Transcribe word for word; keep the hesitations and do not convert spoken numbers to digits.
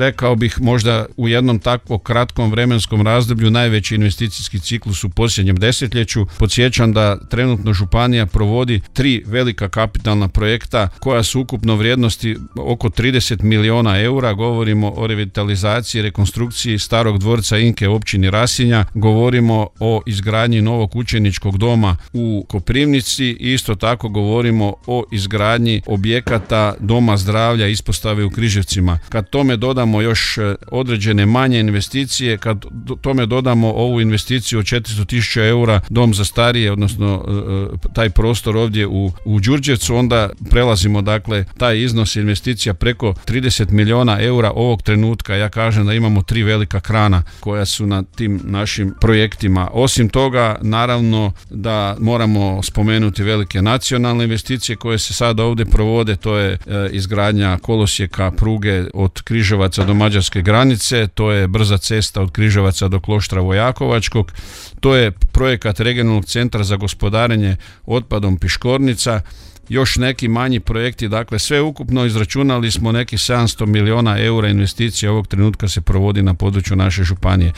rekao bih možda u jednom takvom kratkom vremenskom razdoblju najveći investicijski ciklus u posljednjem desetljeću. Podsjećam da trenutno županija provodi tri velika kapitalna projekta koja su ukupno vrijednosti oko trideset milijuna eura. Govorimo o revitalizaciji i rekonstrukciji starog dvorca Inke u općini Rasinja, govorimo o izgradnji novog učeničkog doma u Koprivnici i isto tako govorimo o izgradnji objekata doma zdravlja ispostave u Križevcima. Kad tome dodamo još određene manje investicije, kad tome dodamo ovu investiciju od četiristo tisuća eura dom za starije, odnosno taj prostor ovdje u, u Đurđevcu, onda prelazimo dakle taj iznos investicija preko trideset milijuna eura ovog trenutka. Ja kažem da imamo tri velika krana koja su na tim našim projektima. Osim toga, naravno da moramo spomenuti velike nacionalne investicije koje se sada ovdje provode, to je e, izgradnja kolosijeka pruge od Križevaca do mađarske granice, to je brza cesta od Križevaca do Kloštra Vojakovačkog, to je projekat regionalnog centra za gospodarenje otpadom Piškornica, još neki manji projekti, dakle sve ukupno izračunali smo neki sedamsto milijuna eura investicija ovog trenutka se provodi na području naše županije.